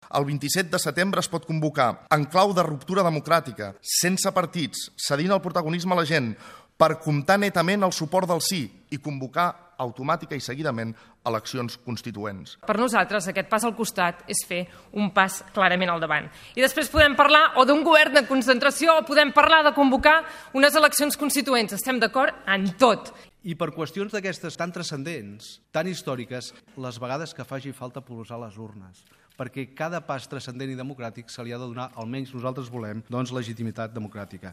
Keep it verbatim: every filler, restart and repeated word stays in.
El vint-i-set de setembre es pot convocar en clau de ruptura democràtica, sense partits, cedint el protagonisme a la gent, per comptar netament el suport del sí i convocar automàtica i seguidament eleccions constituents. Per nosaltres aquest pas al costat és fer un pas clarament al davant. I després podem parlar o d'un govern de concentració o podem parlar de convocar unes eleccions constituents. Estem d'acord en tot. I per qüestions d'aquestes tan transcendents, tan històriques, les vegades que faci falta posar les urnes, perquè cada pas transcendent i democràtic se li ha de donar, almenys nosaltres volem, doncs legitimitat democràtica.